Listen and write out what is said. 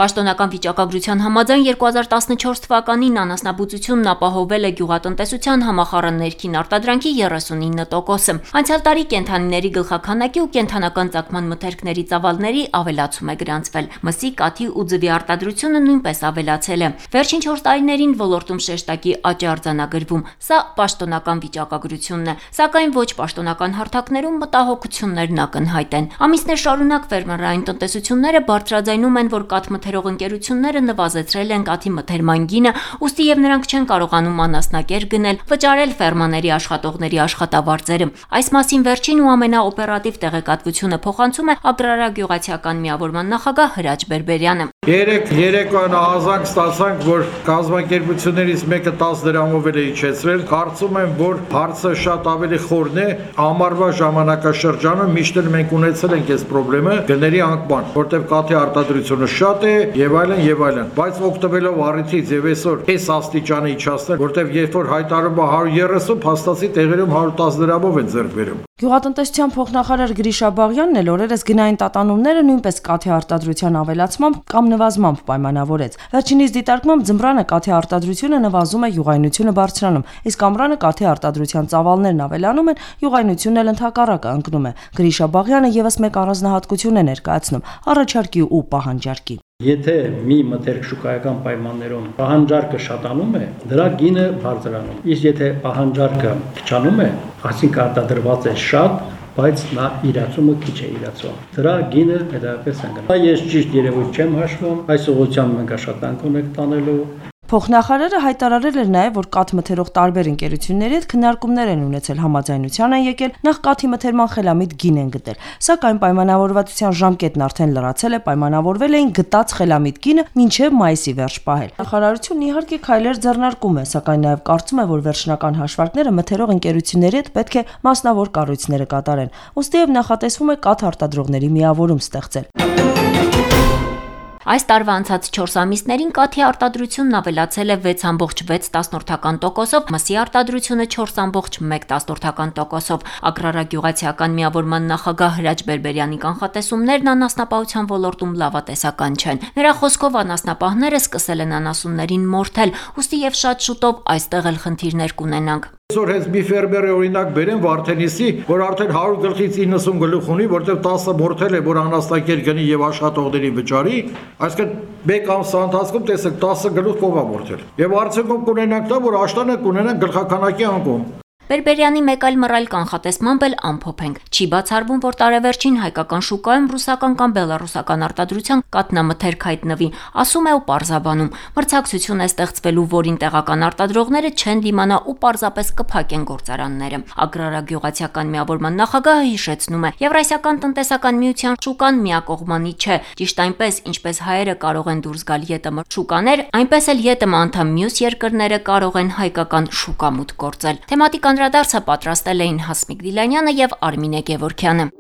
Պաշտոնական վիճակագրության համաձայն 2014 թվականին անասնաբուծությունն ապահովել է գյուղատնտեսության համախառն ներքին արտադրանքի 39%-ը։ Անցյալ տարի կենդանիների գլխաքանակի ու կենդանական ծագման մթերքների ծավալների ավելացում է գրանցվել։ Մսի, կաթի ու ձվի արտադրությունը նույնպես ավելացել է։ Վերջին 4 տարիներին ոլորտում շեշտակի աճ է արձանագրվում։ Սա պաշտոնական վիճակագրությունն է, սակայն ոչ պաշտոնական հարթակներում մտահոգություններն ակնհայտ են։ Ամիսներ շարունակ ֆերմերային տնտեսությունները բարձրաձայնում են, որ կաթ մթերող ընկերությունները նվազեցրել են կաթի մթերման գինը, ուստի եւ նրանք չեն կարողանում անասնակեր գնել, վճարել ֆերմաների աշխատողների աշխատավարձերը։ Այս մասին վերջին ու ամենաօպերատիվ տեղեկատվությունը փոխանցում է Ագրարագյուղացիական միավորման նախագահ Հրաչ Բերբերյանը։ Երեկոյան ահազանգ ստացանք, որ կազմակերպություններից մեկը 10 դրամով է իջեցրել։ Կարծում եմ, որ հարցը շատ ավելի խորն է։ Ամառվա ժամանակաշրջանում միշտ մենք ունեցել ենք այս խնդրը գների անկման, որտեղ կաթի արտադրությունը շատ է եւ այլն, բայց օգտվելով առիթից եւ այսօր այս աստիճանը իջացնել, որտեղ երբ որ հայտարարում է 130, փաստացի տեղերում 110 դրամով են ձեռք բերում։ Գյուղատնտեսության փոխնախարար Գրիշա Բաղյանն էլ օրերս գնային տատանումները նույնպես կաթի արտադրության ավելացմամբ կամ նվազմամբ պայմանավորեց։ Վերջինիս դիտարկմամբ ձմռանը կաթի արտադրությունը նվազում է, յուղայնությունը բարձրանում, իսկ ամռանը կաթի արտադրության ծավալներն ավելանում են, յուղայնությունն էլ ընդհակառակը ընկնում է։ Գրիշա Բաղյանը եւս մեկ առանձնահատկություն է ներկայացնում՝ առաջարկի ու պահանջարկի։ Եթե մի մթերք շուկայական պայմաններում պահանջարկը շատանում է, դրա գինը բարձրանում։ Իսկ եթե պահանջարկը քչանում է, այսինքն արտադրված է շատ, բայց նա իրացումը քիչ է իրացվում։ Դրա գինը հետևապես ընկնում։ Ես ճիշտ երևույթ չեմ հաշվում, այս ուղղությամբ մենք աշխատանք ունենք տանելու։ Փոխնախարարը հայտարարել էր նաև, որ կաթ մթերող տարբեր ընկերությունների հետ քննարկումներ են ունեցել, համաձայնության են եկել, նախ կաթի մթերման խելամիտ գին են գտել։ Սակայն պայմանավորվածության ժամկետն արդեն լրացել է, պայմանավորվել էին գտած խելամիտ գինը մինչև մայիսի վերջ պահել։ Նախարարությունն իհարկե քայլեր ձեռնարկում է, սակայն նաև կարծում է, որ վերջնական հաշվարկները մթերող ընկերությունների հետ պետք է մասնավոր կառույցները կատարեն։ Ոստիև նախատեսվում է կաթ արտադրողների միավորում ստեղծել։ Այս տարվա անցած 4 ամիսներին կաթի արտադրությունն ավելացել է 6.6%-ով, մսի արտադրությունը 4.1%-ով։ Ագրարագյուղացիական միավորման նախագահ Հրաչ Բերբերյանի կանխատեսումներն անասնապահության ոլորտում լավատեսական չեն։ Նրա խոսքով անասնապահները սկսել են անասուններին մորթել, ուստի եւ շատ շուտով այստեղ էլ խնդիրներ կունենանք։ Այսօր հենց մի ֆերմերը օրինակ բերեն Վարդենիսի, որ արդեն 100 գլխից 90 գլուխ ունի, որտեղ 10-ը մորթել է, որ անաստակեր գնի եւ աշխատողներին վճարի, այսինքն մեկ ամսվա ընթացքում տեսեք 10 գլուխ կողա մորթել։ Եվ արդյունքում կունենանք դա, որ աշտանը կունենանք գլխականակի անկում։ Բերբերյանի մեկ այլ մռայլ կանխատեսմամբ էլ ամփոփ ենք։ Չի բացառվում, որ տարեվերջին հայկական շուկայում ռուսական կամ բելառուսական արտադրության կաթնամթերք հայտնվի, ասում է ու պարզաբանում։ Մրցակցություն է ստեղծվելու, որին տեղական արտադրողները չեն դիմանա ու պարզապես կփակեն գործարանները։ Ագրարագյուղացիական միավորման նախագահը հիշեցնում է, Եվրասիական տնտեսական միության շուկան միակողմանի չէ։ Ճիշտ այնպես, ինչպես հայերը կարող են դուրս գալ ԵՏՄ շուկաներ, այնպես էլ ԵՏՄ անդամ մյուս երկրները կարող են հայկական շուկա մուտք գործել։ Թեմատիկ անդրադարձը պատրաստել էին Հասմիկ Դիլանյանը եւ Արմինե Գևորգյանը։